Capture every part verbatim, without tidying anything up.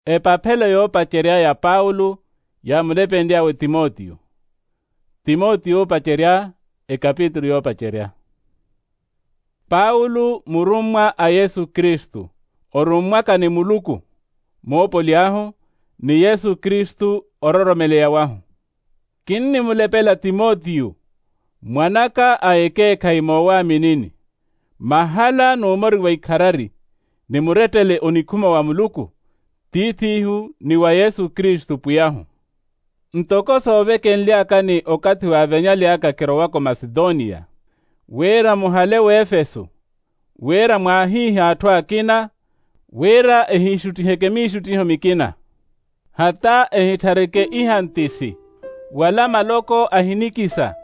Epaphelo yoopacerya ya paulo yaamulepenly'awe timotiyo. Timotiyo oopacerya. Ekapitulu yoopacerya. Paulo murummwa a yesu kristu, orummwaka ni muluku moopoly'ahu, ni yesu kristu ororomeleya wahu. Kinnimulepela timotiyo, mwan'aka a ekeekhayi moowaaminini, mahala n'umori wa ikharari, ni murettele onikhuma wa muluku, tiith'ihu ni wa yesu kristu pwiy'ahu. Ntoko soovekenly'akani okathi waavenyaly'aka kirowaka omasitoniya, wira muhale w'efesu, wira mwaahiihe atthu akina, wira ehiixuttiheke miixuttiho mikina, hata ehitthareke ihantisi, wala maloko ahinikisa.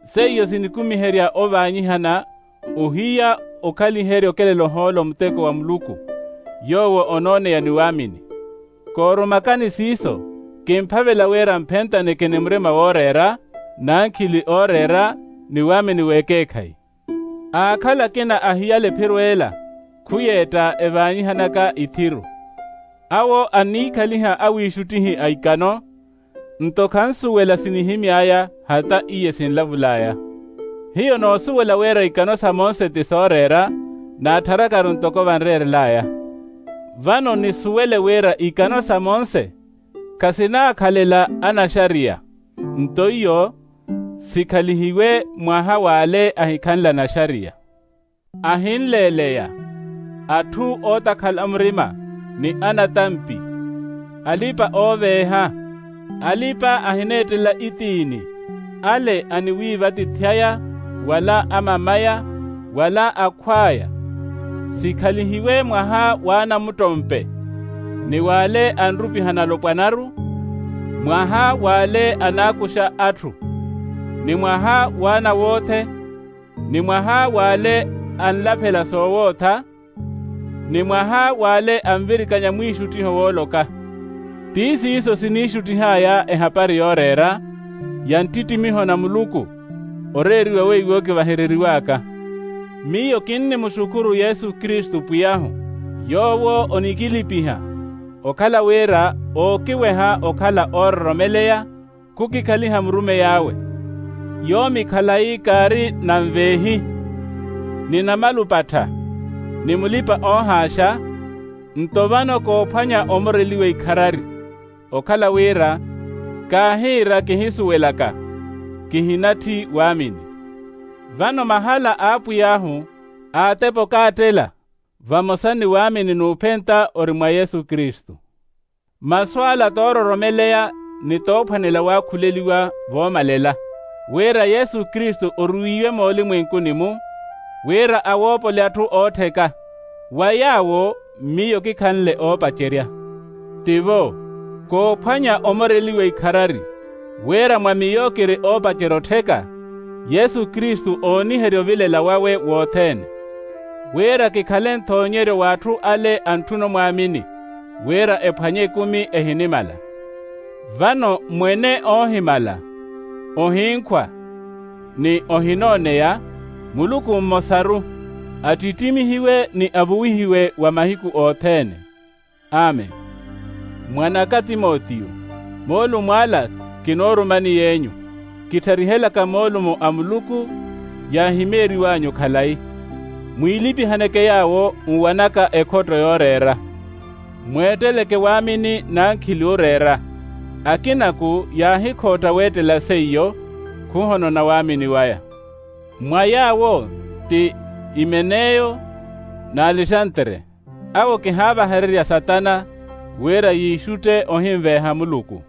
Seiyo sinikumiherya ovaanyihana, ohiya okhaliherya okelela ohoolo muteko wa muluku, yoowo onooneya ni waamini. Koorumakani siiso, kimphavela wira mphentaneke ni murima wooreera, n'ankhili ooreera, ni waamini w'ekeekhayi. Aakhala akina a hiyala ephiro ela, khuyeetta evaanyihanaka ithiru. Awo anniikhaliha awiixuttihi a ikano, nto khansuwela sinihimy'aya hata iye sinlavul'aya. Hiyo noosuwela wira ikano sa monse ti sooreera, naattharakaru ntoko vanreerel'aya. Vano nisuwele wira ikano sa monse khasinaakhalela anaxariya, nto iyo sikhalihiwe mwaha w'ale ahikhanle anaxariya. Ahinleeleya, atthu ootakhala murima, ni anatampi, alipa-ooveeha, alipa ahineettela itiini, ale aniwiivatithy'aya, wala amamaya, wala akhw'aya, sikhalihiwe mwaha w'anamuttompe, ni w'ale anrupihana alopwanaru, mwaha w'ale anaakuxa atthu, ni mwaha w'anawothe, ni mwaha w'ale anlaphela soowootha, ni mwaha w'ale anvirikanya mwiixuttiho wooloka. Ti siiso siniixuttih'aya ehapari yooreera, ya nttittimiho na muluku, oreeriwa weiwo kivahereriw'aka. Miyo kinnimuxukhuru yesu kristu pwiy'ahu, yoowo onikilipiha, okhala wira ookiweha okhala oororomeleya, khukikhaliha murumeyi awe. Yoomi khalayi kaari na nveehi, ni namalupattha, ni mulipa-oohaaxa, nto vano koophwanya omoreliwa ikharari, okhala wira kaahiira kihisuwelaka, kihinatthi waamini. Vano mahala a apwiy'ahu aatepa okaattela, vamosa ni waamini n'uphenta ori mwa yesu kristu. Masu ala toororomeleya ni toophwanela waakhuleliwa voomalela, wira yesu kristu oruwiwe moolimwenkuni-mu, wira awoopole atthu oottheka. Wa yaawo miyo kikhanle oopacerya. Tivo, koophwanya omoreliwa ikharari, wira mwa miyo kiri oopacerya ottheka, yesu kristu ooniherya ovilela wawe wothene, wira kikhale nthoonyeryo w'atthu ale antthuna omwaamini, wira ephwanye ekumi ehinimala. Vano mwene oohimala, ohinkhwa, ni ohinooneya, muluku mmosaru, attittimihiwe ni avuwihiwe wa mahiku othene. Amen. Mwan'aka timotiyo, moolumo ala kinoorumani yeenyu, kittharihelaka moolumo a muluku yaahimeeriw'anyu khalayi. Mwiilipihaneke yaawo nwanaka ekhotto yooreera. Mweetteleke waamini n'ankhili ooreera. Akinaku yaahikhotta weettela seiyo, khuhonona waamini waya. Mwa yaawo ti imeneyo n'alexantere, awo kihaavahererya satana, wira yiixutte ohinveeha muluku.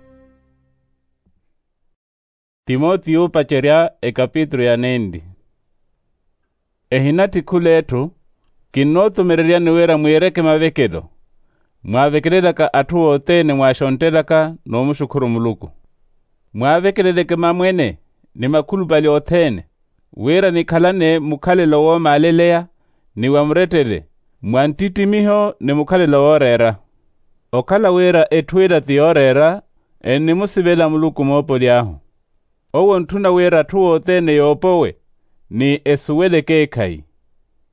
Timotiyo oopacerya ekapitulu ya nenli. Ehinatthi khul'etthu, kinnootumereryani wira mwiireke mavekelo, mwaavekelelaka atthu othene mwaaxonttelaka n'umuxukhuru muluku. Mwaavekeleleke mamwene ni makhulupale othene, wira nikhalane mukhalelo woomaaleleya, ni wa murettele, mwa nttittimiho ni mukhalelo wooreera. Okhala wira etthu ela ti yooreera, ennimusivela muluku moopoly'ahu. Owo ontthuna wira atthu othene yoopowe, ni esuwele ekeekhayi.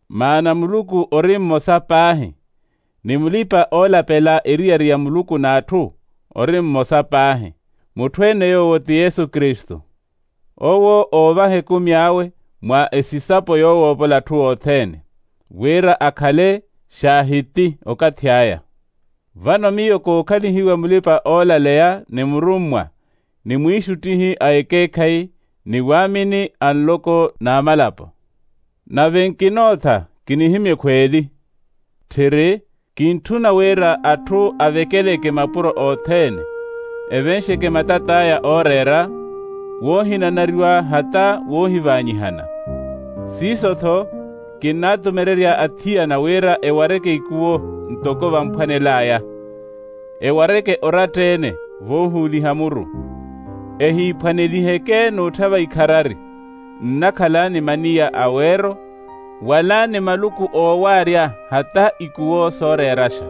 Maana muluku ori mmosa paahi. ni mulipa-oolapela eriyari ya muluku n'atthu ori mmosa paahi, mutthu-ene yoowo ti yesu kristu. Owo oovaha ekumi awe mwa esisapo yoowoopola atthu othene, wira akhale xaahiti okathi aya. Vano miyo kookhalihiwa mulipa-oolaleya ni murummwa, ni mwiixuttihi a ekeekhayi, ni waamini a nloko n'amalapo. Nave nkinootha kinihimya ekhweeli. Tthiri, kintthuna wira atthu avekeleke mapuro othene, evenxeke matat'aya ooreera, woohinanariwa hata woohivaanyihana. Siiso-tho, kinnaatumererya athiyana wira ewareke ikuwo ntoko vamphwanel'aya, ewareke oratta-ene voohuuliha muru. Ehiiphwaneliheke n'utthava ikharari, nnakhala ni maniya a weero, wala ni maluku oowaarya hata ikuwo sooreeraxa.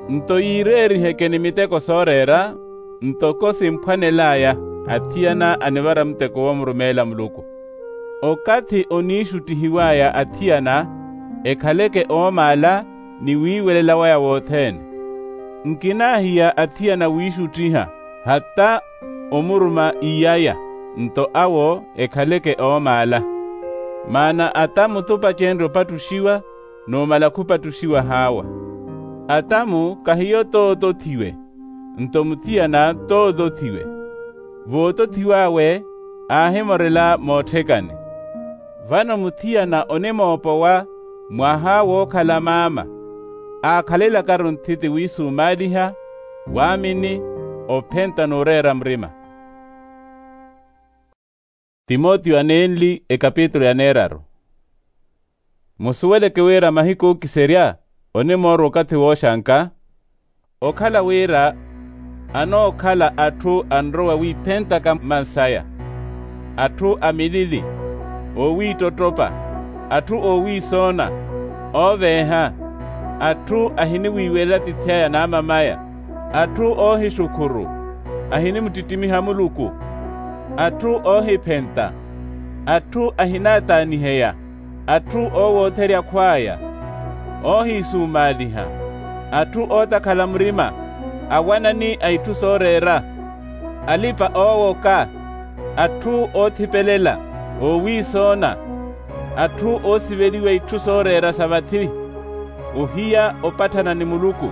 Nto yiireeriheke ni miteko sooreera, ntoko simphwanel'aya athiyana anivara muteko woomurumeela muluku. Okathi oniixuttihiw'aya athiyana, ekhaleke oomaala ni wiiwelela waya wothene. Nkinaahiya athiyana wiixuttiha hata omuruma iyaya, nto awo ekhaleke oomaala. Maana ata mutupacenrye opattuxiwa, numala khupattuxiwa haawa. Ata-mu kahiyo tootothiwe, nto muthiyana tootothiwe. Vootothiw'awe aahimorela mootthekani. Vano muthiyana onimoopowa mwaha wookhala maama, aakhalelakaru nthiti wiisumaaliha, waamini, ophenta n'ureera murima. Timotiyo anenli ekapitulu ya neeraru. Musuweleke wira mahiku ookiserya onimoorwa okathi wooxanka, okhala wira anookhala atthu anrowa wiiphentaka mansaya, atthu a milili, oowiittottopa, atthu oowiisoona, ooveeha, atthu ahiniwiiwelela atiithi aya n'amamaya, atthu oohixukhuru, ahinimuttittimiha muluku, atthu oohiphenta, atthu ahinaataaniheya, atthu oowootherya akhw'aya, oohiisumaaliha, atthu ootakhala murima, awanani a itthu sooreera, alipa-oowoka, atthu oothipelela, oowiisoona, atthu oosiveliwa itthu sooreera sa vathi, ohiya opatthana ni muluku,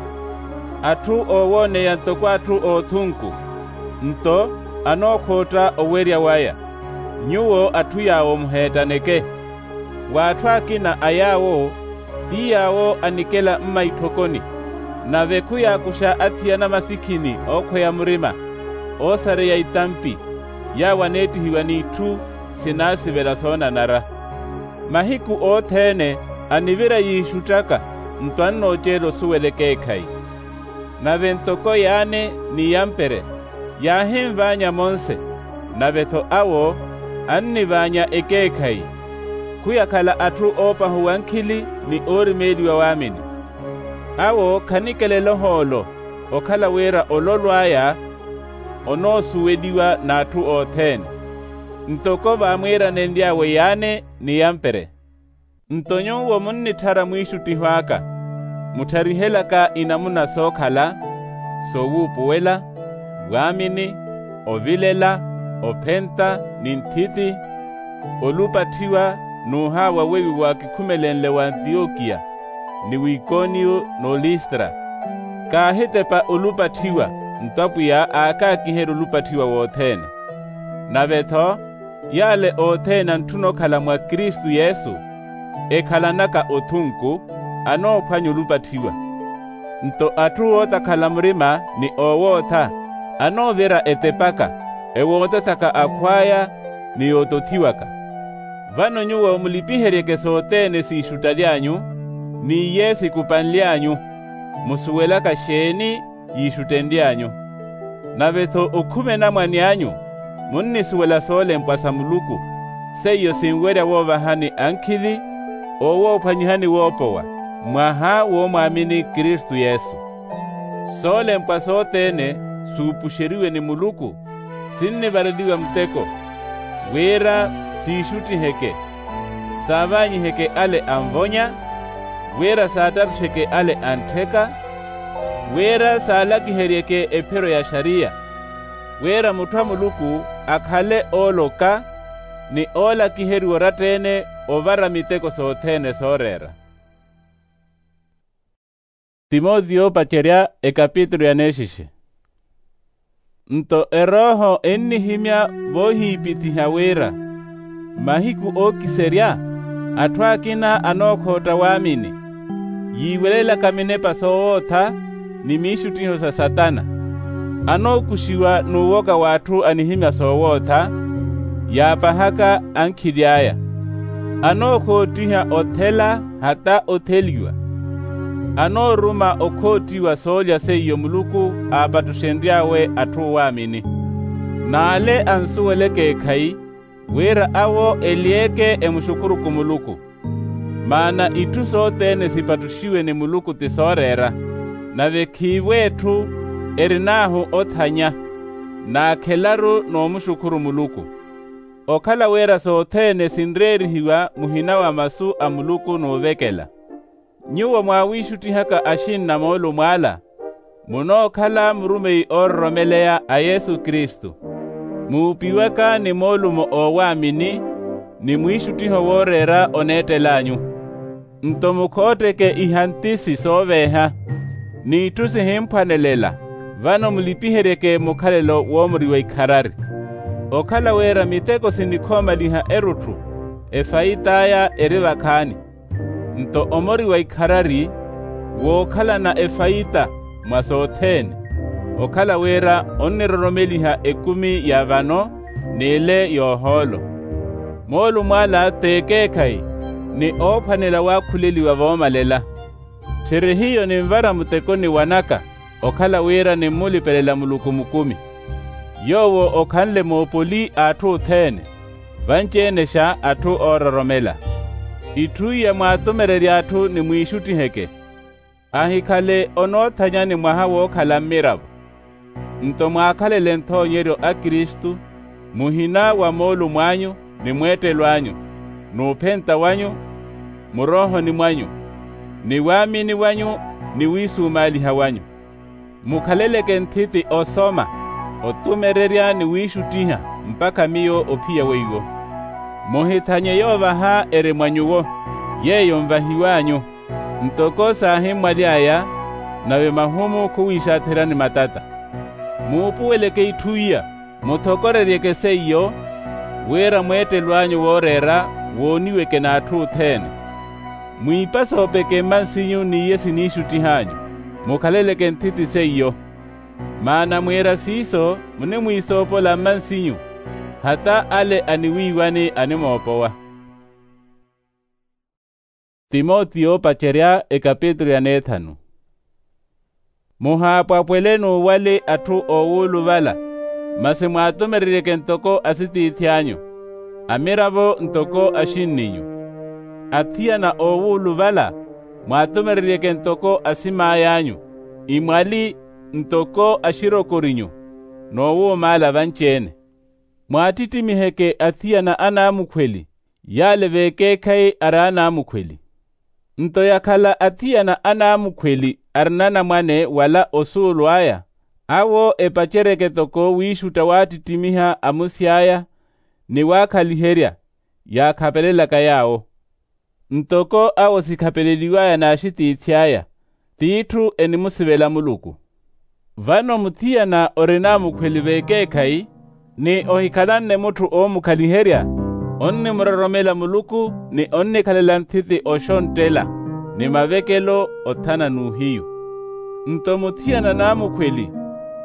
atthu oowooneya ntoko atthu oothunku, nto anookhootta owerya waya. Nyuwo atthu yaawo muheettaneke. W'atthu akina a yaawo ti yaawo anikela mma itthokoni, nave khuyaakuxa athiyana masikhini ookhweya murima, oosareya itampi, yaawo aneettihiwa n'itthu sinaasivela soonanara. Mahiku othene anivira yiixuttaka, nto annooceela osuwela ekeekhayi. Nave ntoko yaane ni yampere yaahinvaanya monse, nave-tho awo annivaanya ekeekhayi, khuyakhala atthu oopahuwa nkhili ni oorimeeliwa waamini. Awo khanikelela ohoolo, okhala wira ololo aya onoosuweliwa n'atthu othene, ntoko vaamwiiranenly'awe yaane ni yampere. Nto nyuwo munnitthara mwiixuttiho aka, muttharihelaka inamuna sookhala, sowuupuwela, waamini, ovilela, ophenta, ni nthiti, olupatthiwa, n'uhaawa weiwo waakikhumelenle w'antiyokiya, ni w'ikoniyo, n'olistra. Kaahitepa olupatthiwa, nto apwiya aakaakiherya olupatthiwa wothene. Nave-tho, yale othene antthuna okhala mwa kristu yesu, ekhalanaka othunku, anoophwanya olupatthiwa. Nto atthu ootakhala murima ni oowootha, anoovira etepaka, ewootethaka akhw'aya, ni yootothiwaka. Vano nyuwo mulipiheryeke sothene siixuttaly'anyu, n'iye sikupanly'anyu, musuwelaka xeeni yiixuttenly'anyu. Nave-tho okhume namwani anyu, munnisuwela soolempwa sa muluku, seiyo sinwerya woovahani ankhili, oowoophwanyihani woopowa, mwaha woomwaamini kristu yesu. Soolempwa sothene suupuxeriwe ni muluku, sinnivareliwa muteko, wira siixuttiheke, saavaanyiheke ale anvonya, wira saattatteke ale anttheka, wira saalakiheryeke ephiro ya xariya, wira mutthu a muluku akhale ooloka ni oolakiheriwa oratta-ene ovara miteko sothene sooreera. Timotiyo opacerya ekapitulu ya neexixe. Nto erooho ennihimya voohiipithiha wira, mahiku ookiserya atthu akina anookhootta waamini, yiiwelelaka minepa soowootha ni miixuttiho sa satana, anookuxiwa n'uwoka w'atthu anihimya soowootha, yaapahaka ankhili aya, anookhoottiha othela hata otheliwa, anooruma okhoottiwa soolya seiyo muluku aapattuxenry'awe atthu oowaamini. N'ale ansuwela ekeekhayi wira awo ely'eke emuxukuruku muluku. Maana itthu sothene sipattuxiwe ni muluku ti sooreera, nave khiivo etthu erin'ahu othanya, n'akhelaru n'omuxukhuru muluku. Okhala wira sothene sinreerihiwa muhina wa masu a muluku n'uvekela. Nyuwo mwaawiixuttihaka axinna moolumo ala, munookhala murumeyi oororomeleya a yesu kristu, muupiwaka ni moolumo oowaamini, ni mwiixuttiho wooreera oneettel'anyu. Nto mukhootteke ihantisi sooveeha, n'itthu sihimphwanelela, vano mulipiheryeke mukhalelo woomuriwa ikharari. Okhala wira miteko sinikhoomaliha erutthu, efayit'aya eri vakhaani. Nto omoriwa ikharari wookhalana efayita mwa sothene, okhala wira onniroromeliha ekumi ya vano, n'ile y'ohoolo. Moolumo ala t'ekeekhayi, ni oophwanela waakhuleliwa voomalela. Tthiri hiyo ninvara mutekoni wanaka, okhala wira nimmulipelela muluku mukumi, yoowo okhanle moopoli a atthu othene, vanci-enexa atthu oororomela. Itthu iya mwaatumererye atthu nimwiixuttiheke, ahikhale onoothanyani mwaha wookhala mmiravo. Nto mwaakhalele nthoonyeryo a kristu, muhina wa moolumo anyu, ni mweettelo anyu, n'uphenta wanyu, muroohoni mwanyu, ni waamini wanyu, ni wiisumaaliha wanyu. Mukhaleleke nthiti osoma, otumererya ni wiixuttiha, mpakha miyo ophiya weiwo. Muhithanye yoovaha eri mwa nyuwo, yeeyo nvahiw'anyu, ntoko saahimmwaly'aya, nave mahumu khuwiixatherya ni matata. Muupuweleke itthu iya, muthokoreryeke seiyo, wira mweettelo anyu wooreera wooniweke n'atthu othene. Mwiipasoopeke mmansinyu n'iye siniixuttih'anyu, mukhaleleke nthiti seiyo. Maana mwiira siiso munimwiisoopola mmansinyu, hata ale aniwiiwani animoopowa. Timotiyo opacerya ekapitulu ya neethanu. Muhaapwapwele n'uwali atthu oowuluvala, masi mwaatumereryeke ntoko asitiithi anyu, amiravo ntoko axinninyu. Athiyana oowuluvala mwaatumereryeke ntoko asim'ay'anyu, imwali ntoko axirokorinyu, n'owuumaala vanci-ene. Mwaattittimiiheke athiyana anaamukhweli, yale vekeekhayi ari anaamukhweli. Nto yakhala athiyana anaamukhweli arina anamwane wala osuulu aya, awo epaceryeke toko wiixutta waattittimiha amusi aya, ni waakhaliherya, yaakhapelelaka yaawo. Ntoko awo sikhapeleliw'aya n'axitiithi aya, t'itthu enimusivela muluku. Vano muthiyana ori naamukhweli vekeekhayi, ni ohikhalanne mutthu oomukhaliherya, onnimuroromela muluku ni onnikhalela nthiti oxonttela, ni mavekelo othana n'uhiyu. Nto muthiyana naamukhweli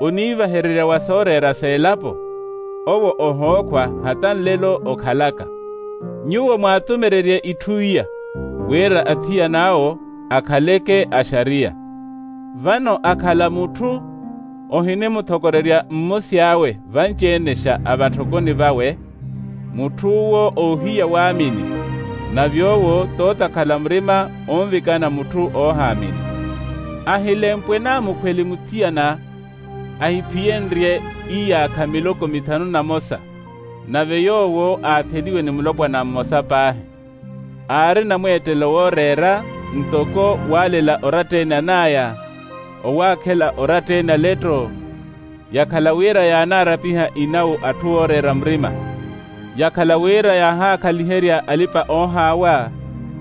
oniivahererya wa sooreera s'elapo, owo ohookhwa hata nlelo okhalaka. Nyuwo mwaatumererye itthu iya, wira athiyan'awo akhaleke axariya. Vano akhala mutthu ohinimuthokorerya mmusi awe vanci-enexa a vatthokoni vawe, mutth'uwo oohiya waamini, nave owo t'otakhala murima onvikana mutthu oohaamini. Ahilempwe naamukhweli muthiyana ahiphiyenrye iyaakha miloko mithanu na mosa, nave yoowo aatheliwe ni mulopwana mmosa paahi. Aari namweettelo wooreera, ntoko waalela oratta-ene an'aya, owaakhela oratta-ene aletto, yakhala wira yaanaarapiha inawu atthu ooreera murima, yakhala wira yaahaakhaliherya alipa-oohaawa,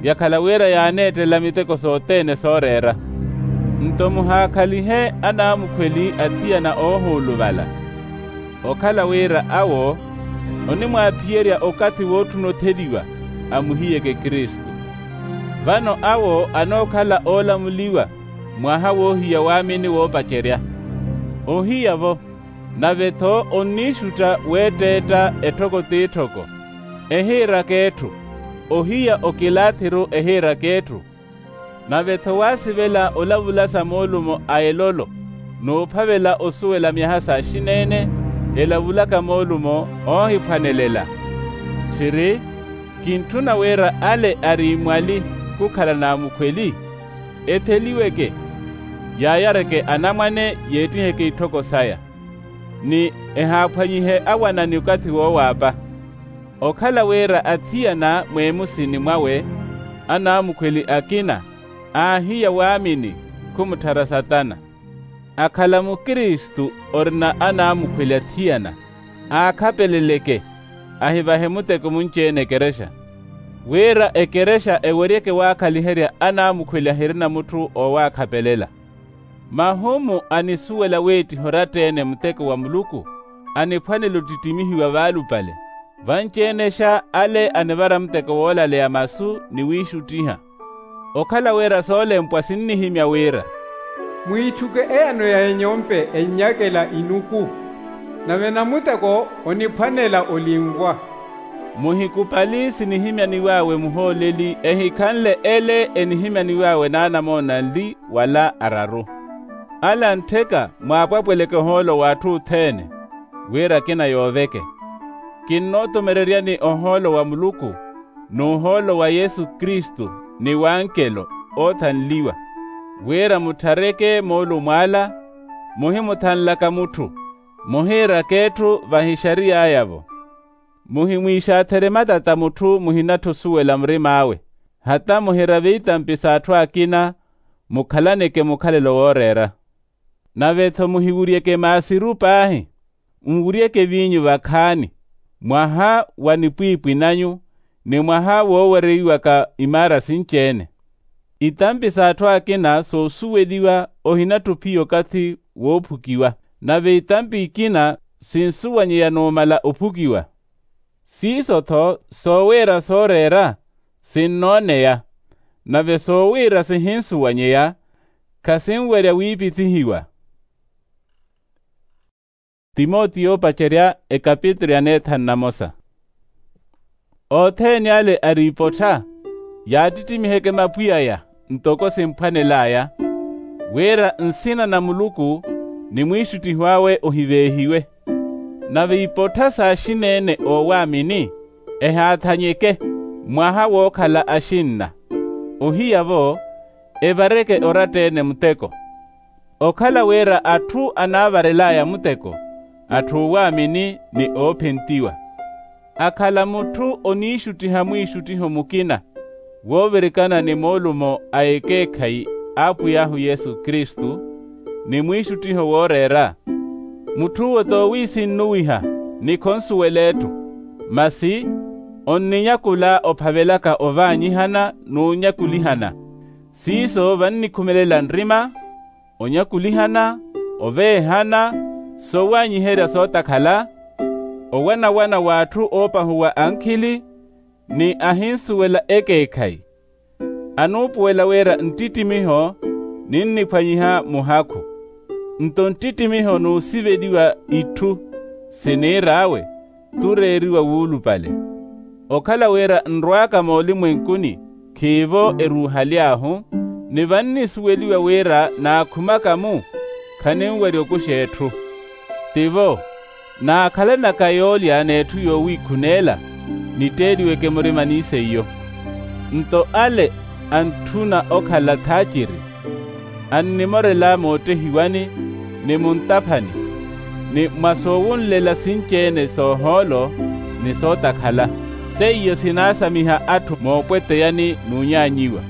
yakhala wira yaaneettela miteko sothene sooreera. Nto muhaakhalihe anaamukhweli athiyana oohuuluvala, okhala wira awo onimwaaphiyerya okathi wootthuna otheliwa, amuhiyeke kristu. Vano awo anookhala oolamuliwa mwaha woohiya waamini woopacerya. Ohiya-vo, nave-tho onniixutta weetteetta etthoko t'etthoko, ehiiraka etthu. Ohiya okilaathiru ehiiraka etthu. Nave-tho waasivela olavula sa moolumo a elolo, n'uphavela osuwela myaha s'axineene elavulaka moolumo oohiphwanelela. Tthiri, kintthuna wira ale ari imwali khukhala n'amukhweli, etheliweke, yaayareke anamwane, yeettiheke itthoko saya, ni ehaaphwanyihe awanani okathi woowaapa. Okhala wira athiyana mweemusini mwawe, anaamukhweli akina, aahiya waamini, khumutthara satana. Akhala mukristu orina anaamukhweli athiyana, aakhapeleleke, ahivahe muteko munci-ene ekerexa, wira ekerexa eweryeke waakhaliherya anaamukhweli ahirina mutthu owaakhapelela. Mahumu anisuwela weettiha oratta-ene muteko wa muluku, aniphwanela ottittimihiwa vaalupale. Vanci-enexa ale anivara muteko woolaleya masu ni wiixuttiha. Okhala wira soolempwa sinnihimya wira, mwiitthuke eyano ya enyompe ennyakela inuku, nave namuteko oniphwanela olinvwa. Muhikupali sinihimyaniw'awe muhooleli ehikhanle ele enihimyaniw'awe n'anamoona anli wala araru. Ale anttheka mwaapwapweleke ohoolo w'atthu othene, wira akina yooveke. Kinnootomereryani ohoolo wa muluku, n'uhoolo wa yesu kristu, ni w'ankelo oothanliwa, wira mutthareke moolumo ala, muhimuthanlaka mutthu, muhiiraka etthu vahixariy'aya-vo. Muhimwiixaatherye matata mutthu muhinatthi osuwela murim'awe, hata muhirave itampi s'atthu akina, mukhalaneke mukhalelo wooreera. Nave-tho muhiwuryeke maasiru paahi, nwuryeke eviinyu vakhaani, mwaha wa nipwiipwi nanyu, ni mwaha woowereiwaka imaara sinci-ene. Itampi s'atthu akina soosuweliwa ohinatthi ophiya okathi woophukiwa, nave itampi ikina sinsuwanyeya numala ophukiwa. Siiso-tho soowiira sooreera, sinnooneya, nave soowiira sihinsuwanyeya, khasinwerya wiipithihiwa. Timotiyo opacerya ekapitulu ya neethanu na mosa. Othene ale ari ipottha, yaatittimiheke mapwiy'aya ntoko simphwanel'aya, wira nsina na muluku ni mwiixuttiho awe ohiveehiwe. Nave ipottha s'axineene oowaamini ehaathanyeke, mwaha wookhala axinna. Ohiya-vo, evareke oratta-ene muteko. Okhala wira atthu anaavarel'aya muteko, atthu oowaamini ni oophentiwa. Akhala mutthu oniixuttiha mwiixuttiho mukina, woovirikana ni moolumo a ekeekhayi a apwiy'ahu yesu kristu, ni mwiixuttiho wooreera, mutth'uwo t'owiisinnuwiha, ni khonsuwela etthu, masi onninyakula ophavelaka ovaanyihana n'unyakulihana. Siiso vannikhumelela nrima, onyakulihana, oveehana, sowaanyiherya sootakhala, owanawana w'atthu oopahuwa ankhili, ni ahinsuwela ekeekhayi. Anuupuwela wira nttittimiho ninniphwanyiha muhakhu. Nto nttittimiho n'usiveliwa itthu siniir'awe, t'ureeriwa wuulupale. Okhala wira nrwaaka moolimwenkuni, khiivo eruuhaly'ahu, ni vannisuweliwa wira naakhumaka-mu, khaninwerya okuxa etthu. Tivo, naakhalanaka yoolya n'etthu yoowiikhuneela, nitteeliweke murima ni seiyo. Nto ale antthuna okhala thaaciri, annimorela moottehiwani, ni muntaphani, ni mwa soowunlela sinci-ene soohoolo, ni sootakhala. Seiyo sinaasamiha atthu moopweteyani n'unyaanyiwa.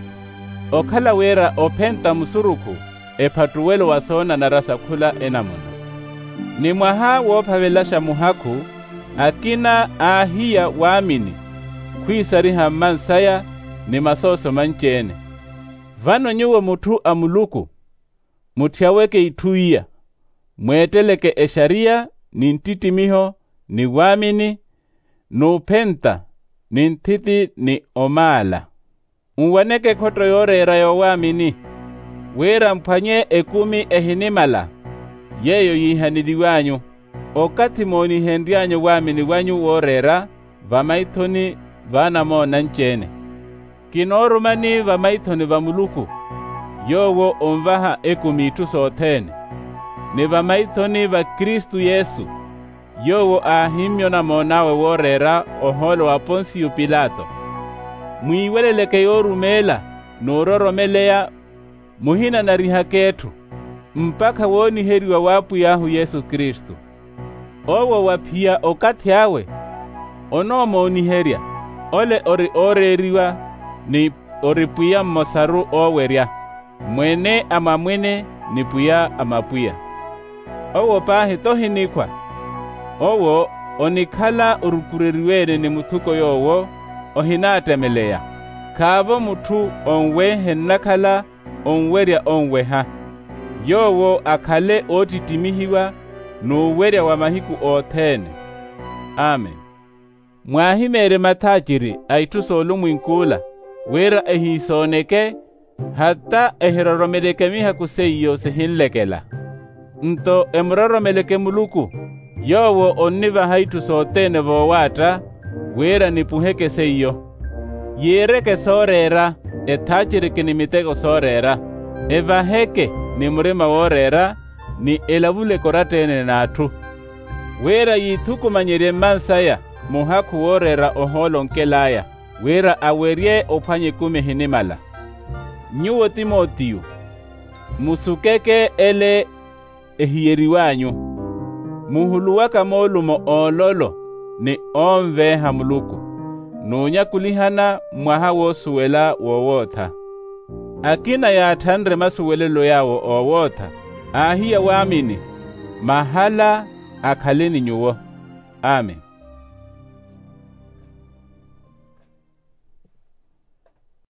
okhala wira ophenta musurukhu ephattuwelo wa soonanara sa khula enamuna. Ni mwaha woophavelaxa muhakhu, akina aahiya waamini khwiisariha mmansaya ni masooso manci-ene. Vano nyuwo mutthu a muluku, mutthiyaweke itthu iya, mweetteleke exariya ni nttittimiho ni waamini, n'uphenta ni nthiti ni omaala. Nwaneke ekhotto yooreera yoowaamini, wira mphwanye ekumi ehinimala, yeeyo yiihaneliw'anyu, okathi moonihenry'anyu waamini wanyu wooreera vamaithoni va anamoona anci-ene. Kinoorumani vamaithoni va muluku, yoowo onvaha ekumi itthu sothene, ni vamaithoni va kristu yesu, yoowo aahimmya onamoon'awe wooreera ohoolo wa ponsiyo pilato. Mwiiweleleke yoorumeela n'uroromeleya, muhinanarihaka etthu, mpakha wooniheriwa w'apwiy'ahu yesu kristu. Owo waphiya okathi awe, onoomooniherya, ole ori ooreeriwa, ni ori pwiya mmosaru oowerya, mwene a mamwene ni pwiya a mapwiya. Owo paahi t'ohinikhwa. Owo onikhala orukureriwe-ene ni muthuko yoowo, ohinaattemeleya. Khaavo mutthu onwehe nnakhala onwerya onweha. Yoowo akhale oottittimihiwa n'uwerya wa mahiku othene. Amen. Mwaahimeerye mathaaciri a itthu soolumwink'ula, wira ehiisooneke, hata ehiroromeleke mihaku seiyo sihinlekela. Nto emuroromeleke muluku, yoowo onnivaha itthu sothene voowaatta, wira nipuheke seiyo. Yiireke sooreera, ethaacereke ni miteko sooreera, evaheke ni murima wooreera, ni elavuleke oratta-ene n'atthu. Wira yiithukumanyerye mmansaya muhakhu wooreera ohoolo onkel'aya, wira awerye ophwanya ekumi ehinimala. Nyuwo timotiyo, musukeke ele ehiyeriw'anyu, muhuluwaka moolumo oololo ni oonveeha muluku, n'unyakulihana mwaha woosuwela wowootha. Akina yaatthanre masuwelelo yaawo oowootha, aahiya waamini, mahala akhale ni nyuwo. Amen.